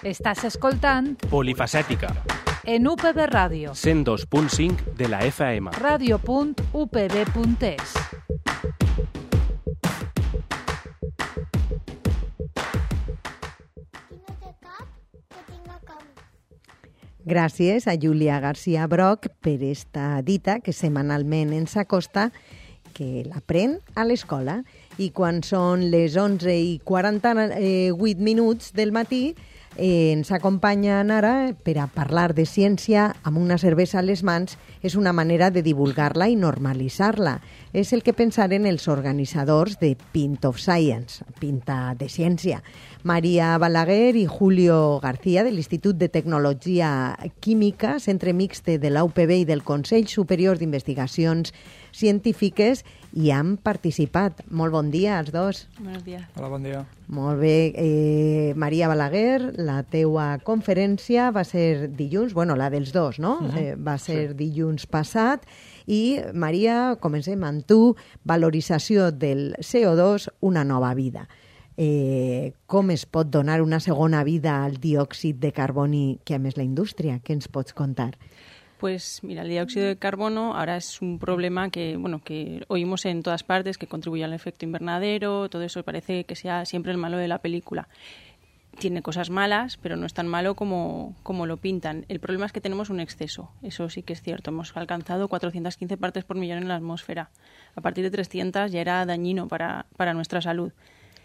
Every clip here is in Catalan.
Estàs escoltant Polifacètica, en UPB Ràdio, 102.5 de la FM. radio.upb.es. Gràcies a Júlia García Broc per esta dita que setmanalment ens acosta, que l'aprèn a l'escola. I quan són les 11:48 minuts del matí, ens acompanyen ara per a parlar de ciència amb una cervesa a les mans. És una manera de divulgar-la i normalitzar-la. És el que pensaren els organitzadors de Pint of Science, Pinta de Ciència. Maria Balaguer i Julio García, de l'Institut de Tecnologia Química, Centre Mixte de la UPB i del Consell Superior d'Investigacions Científiques, hi han participat. Molt bon dia als dos. Buenos días. Hola, bon dia. Molt bé. Maria Balaguer, la teua conferència va ser dilluns, bueno, la dels dos, no? Va ser dilluns passat. I, Maria, comencem amb tu. Valorització del CO2, una nova vida. Com es pot donar una segona vida al diòxid de carboni que a més la indústria? Què ens pots contar? Pues mira, el dióxido de carbono ahora es un problema que oímos en todas partes, que contribuye al efecto invernadero, todo eso parece que sea siempre el malo de la película. Tiene cosas malas, pero no es tan malo como lo pintan. El problema es que tenemos un exceso, eso sí que es cierto. Hemos alcanzado 415 partes por millón en la atmósfera. A partir de 300 ya era dañino para nuestra salud.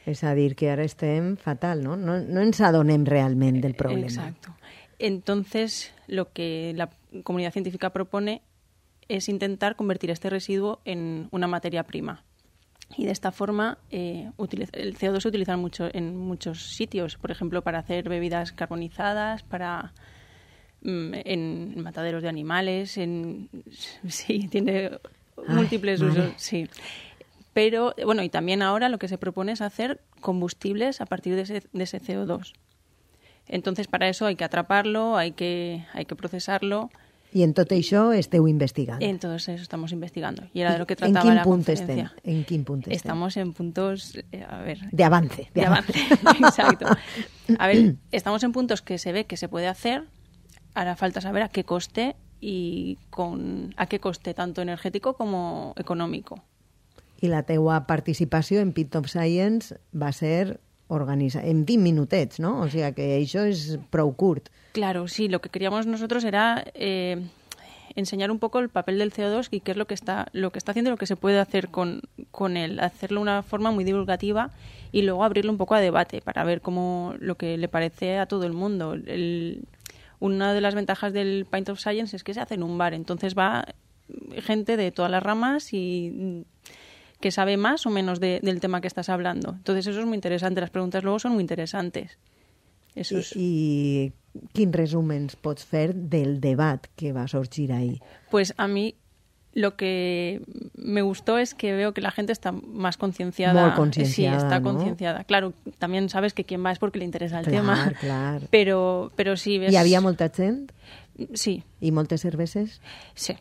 És a dir, que ara estem fatal, no? No ens adonem realment del problema. Exacto. Entonces, lo que la comunidad científica propone es intentar convertir este residuo en una materia prima. Y de esta forma, el CO2 se utiliza mucho en muchos sitios, por ejemplo, para hacer bebidas carbonizadas, en mataderos de animales, sí, tiene múltiples usos, sí. Pero, bueno, y también ahora lo que se propone es hacer combustibles a partir de ese CO2. Entonces, para eso hay que atraparlo, hay que procesarlo. I en tot això esteu investigant. En todo eso estamos investigando. Y era de lo que trataba la conferencia. ¿En quin punt estem? Estamos en puntos, de avance. De avance, exacto. A ver, estamos en puntos que se ve que se puede hacer. Ahora falta saber a qué coste a qué coste tanto energético como económico. I la teua participació en Pint of Science va ser en 20 minutets, ¿no? O sea que això és prou curt. Claro, sí. Lo que queríamos nosotros era enseñar un poco el papel del CO2 y qué es lo que está haciendo y lo que se puede hacer con él. Hacerlo de una forma muy divulgativa y luego abrirlo un poco a debate para ver lo que le parece a todo el mundo. Una de las ventajas del Pint of Science es que se hace en un bar. Entonces va gente de todas las ramas y que sabe más o menos del tema que estás hablando. Entonces eso es muy interesante. Las preguntas luego son muy interesantes. I quin resum ens pots fer del debat que va sorgir ahí? Pues a mí lo que me gustó es que veo que la gente está más concienciada. Molt concienciada, sí, está ¿no? concienciada. Claro, también sabes que quien va es porque le interesa el tema. Clar. Pero sí, ves... Hi havia molta gent? Sí. I moltes cerveses? Sí.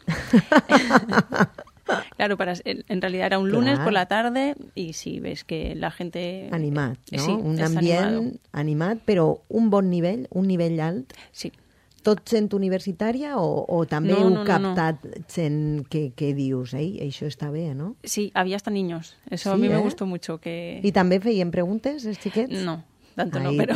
Claro, en realidad era un lunes por la tarde y sí, ves que la gente... Animat, no? Sí, un ambient animat, però un bon nivell, un nivell alt. Sí. Tot gent universitària o també heu captat gent que dius, això està bé, no? Sí, había hasta niños. Eso sí, a mí me gustó mucho. I també feien preguntes, els xiquets? No. Tanto no, pero...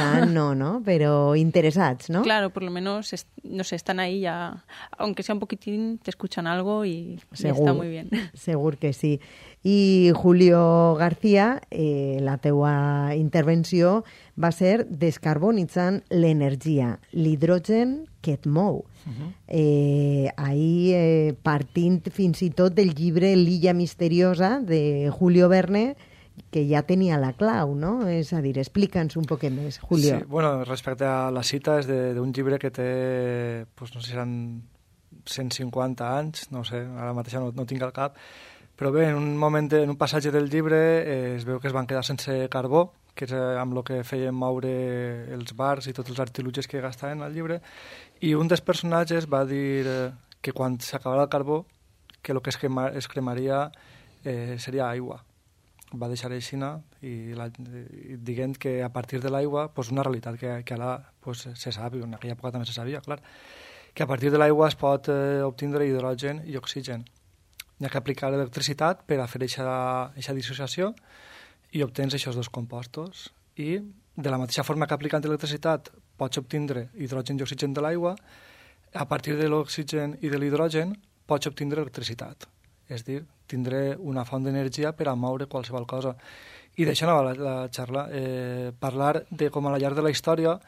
no, pero interesados, ¿no? Claro, por lo menos, no sé, están ahí ya, aunque sea un poquitín, te escuchan algo y está muy bien. Segur que sí. I Julio García, la teua intervenció va ser descarbonitzant l'energia, l'hidrogen que et mou. Ahir, partint fins i tot del llibre L'illa misteriosa de Julio Verne, que ja tenia la clau, no? És a dir, explica'ns un poc més, Julio. Sí, bueno, respecte a la cita és d'un llibre que té, pues, no sé si eren 150 anys, no sé, ara mateix no tinc al cap, però bé, en un passatge del llibre es veu que es van quedar sense carbó, que és amb el que feien moure els bars i tots els artilugis que gastaven al llibre, i un dels personatges va dir que quan s'acabava el carbó, que el que es cremaria seria aigua. va deixar aixina i dient que a partir de l'aigua, pues una realitat que ara pues, se sap, i en aquella època també se sabia, clar, que a partir de l'aigua es pot obtindre hidrogen i oxigen. Hi ha que aplicar electricitat per a fer aquesta dissociació i obtens aquests dos compostos. I de la mateixa forma que aplicant electricitat pots obtindre hidrogen i oxigen de l'aigua, a partir de l'oxigen i de l'hidrogen pots obtindre electricitat. És a dir, tindré una font d'energia per a moure qualsevol cosa. I d'això anava la xarra. Parlar de com a la llarg de la història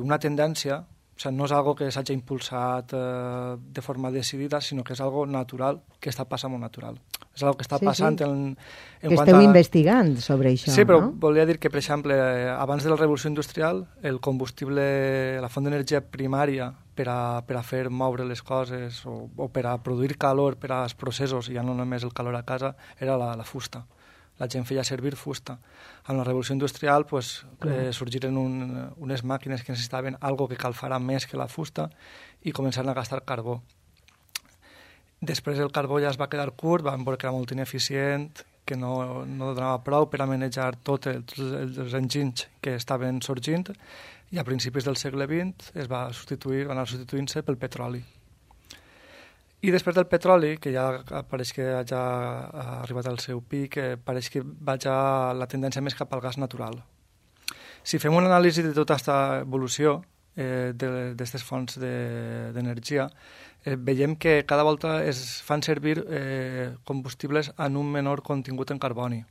una tendència, o sigui, no és algo que s'hagi impulsat de forma decidida, sinó que és algo natural, que està passant molt natural. És algo que està passant en que esteu investigant sobre això, sí, però no? Volia dir que, per exemple, abans de la revolució industrial, el combustible, la font d'energia primària per a fer moure les coses o per a produir calor per als processos, ja no només el calor a casa, era la fusta. La gent feia servir fusta. Amb la revolució industrial sorgiren unes màquines que necessitaven algo que calfara més que la fusta i començaren a gastar carbó. Després el carbó ja es va quedar curt, van veure que era molt ineficient, que no donava prou per a manejar tots els enginys que estaven sorgint, i a principis del segle XX van anar substituint-se pel petroli. I després del petroli, que ja pareix que ja ha arribat al seu pic, pareix que va ja la tendència més cap al gas natural. Si fem una anàlisi de tota aquesta evolució d'aquestes fonts d'energia, veiem que cada volta es fan servir combustibles amb un menor contingut en carboni.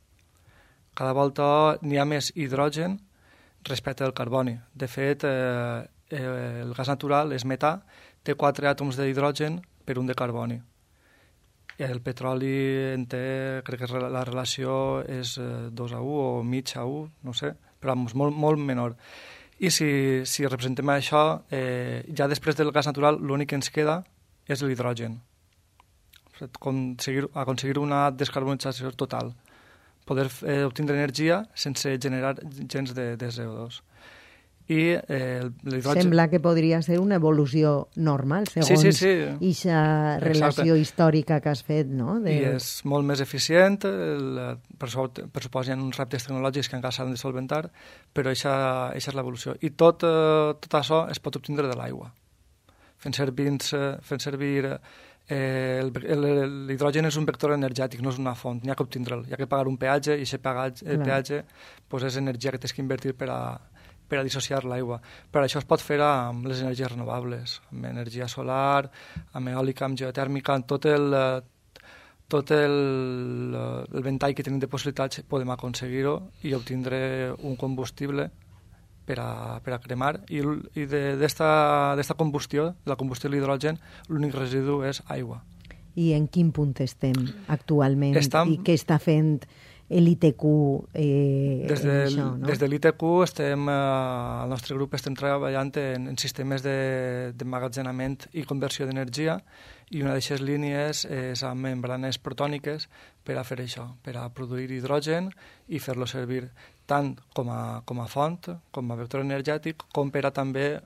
Cada volta n'hi ha més hidrogen respecte al carboni. De fet, el gas natural és metà, té 4 àtoms d'hidrogen per un de carboni. El petroli crec que la relació és 2:1 o mig a 1, no sé, però molt menor. I si representem això, ja després del gas natural l'únic que ens queda és l'hidrogen. Aconseguir una descarbonització total. Poder obtindre energia sense generar gens de CO2. I l'hidrogen... Sembla que podria ser una evolució normal, segons aquesta relació històrica que has fet, no? I és molt més eficient, per suposo hi ha uns reptes tecnològics que encara s'han de solventar, però això és l'evolució. I tot això es pot obtindre de l'aigua. Fent servir l'hidrogen és un vector energètic, no és una font, n'hi ha que obtindre'l, hi ha que pagar un peatge i aquest peatge és energia que tens que invertir per a dissociar l'aigua. Però això es pot fer amb les energies renovables, amb energia solar, amb eòlica, amb geotèrmica, amb tot el ventall que tenim de possibilitats podem aconseguir-ho i obtindre un combustible per a cremar, i d'esta combustió, de la combustió de l'hidrogen, l'únic residu és aigua. I en quin punt estem actualment? I què està fent l'ITQ això, no? Des de l'ITQ al nostre grup estem treballant en sistemes d'emmagatzenament i conversió d'energia, i una d'aquestes línies és amb membranes protòniques per a fer això, per a produir hidrogen i fer-lo servir tant com a font, com a vector energètic, com per a també,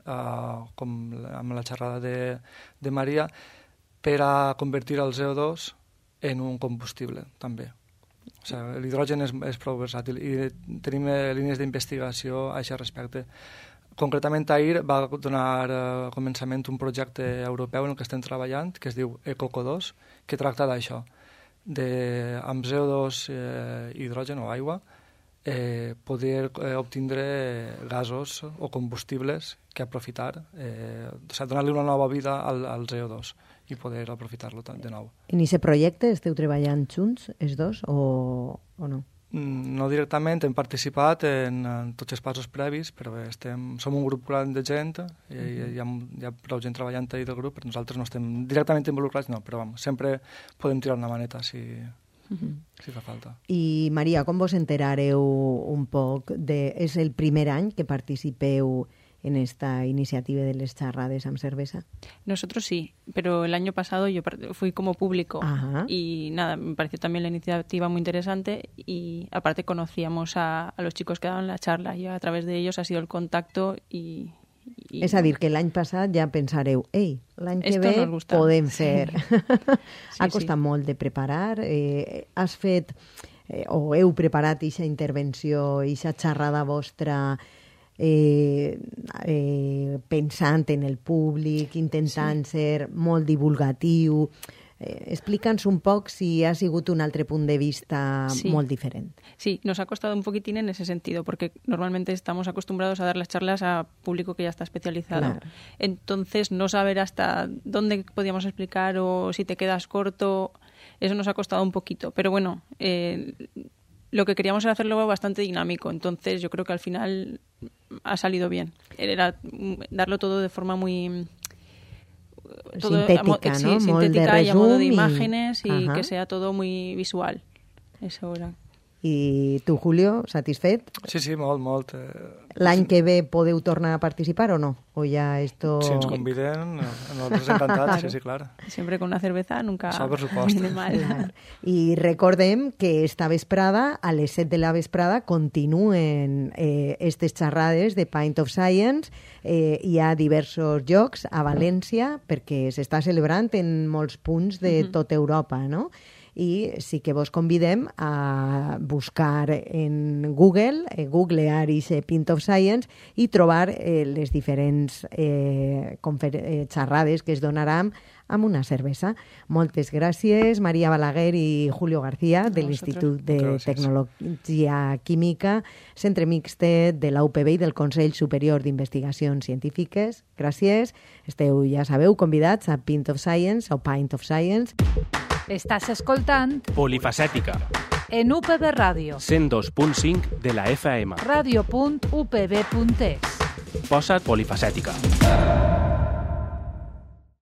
com amb la xerrada de Maria, per a convertir el CO2 en un combustible, també. O sigui, l'hidrogen és prou versàtil i tenim línies d'investigació a aquest respecte. Concretament, ahir va donar començament un projecte europeu en el que estem treballant, que es diu ECOCO2, que tracta d'això, amb CO2, hidrogen o aigua, poder obtindre gasos o combustibles que aprofitar, donar-li una nova vida al CO2 i poder aprofitar-lo de nou. En aquest projecte esteu treballant junts, els dos, o no? No directament, hem participat en tots els passos previs, però som un grup gran de gent, hi ha prou gent treballant ahir del grup, però nosaltres no estem directament involucrats, no, però sempre podem tirar una maneta si fa falta. I Maria, com vos enterareu un poc és el primer any que participeu en esta iniciativa de les charrades amb cerveza? Nosotros sí, pero el año pasado yo fui como público. Ajá. Y nada, me pareció también la iniciativa muy interesante y aparte conocíamos a los chicos que daban la charla y a través de ellos ha sido el contacto y és a dir, que l'any passat ja pensareu l'any que ve podem fer. Ha costat molt de preparar. Has fet o heu preparat aquesta intervenció, aquesta xerrada vostra pensant en el públic, intentant ser molt divulgatiu. Explica'ns un poc si ha sigut un altre punt de vista molt diferent. Sí, nos ha costado un poquitín en ese sentido, porque normalmente estamos acostumbrados a dar las charlas a público que ya está especializado. Claro. Entonces, no saber hasta dónde podíamos explicar o si te quedas corto, eso nos ha costado un poquito. Pero bueno, lo que queríamos era hacerlo bastante dinámico, entonces yo creo que al final ha salido bien. Era darlo todo de forma muy... sintética, ¿no? Sintética y a modo de imágenes y que sea todo muy visual. Eso era. I tu, Julio, satisfet? Sí, molt. L'any que ve podeu tornar a participar o no? O ja esto... Si ens conviden, nosaltres encantats, sí, clar. Siempre con una cerveza nunca viene mal. Clar. I recordem que esta vesprada, a les 7 de la vesprada, continuen estes xerrades de Pint of Science. Hi ha diversos llocs a València perquè s'està celebrant en molts punts de tota Europa, no? I sí que vos convidem a buscar en Google, googlear Pint of Science i trobar les diferents xerrades que es donaran amb una cervesa. Moltes gràcies, Maria Balaguer i Julio García, de l'Institut de Tecnologia Química, Centre Mixtet de la UPB i del Consell Superior d'Investigacions Científiques. Gràcies. Esteu, ja sabeu, convidats a Pint of Science o Pint of Science. Estàs escoltant Polifacètica, en UPB Ràdio. 102.5 de la FM. Radio.upb.es. Posa't polifacètica.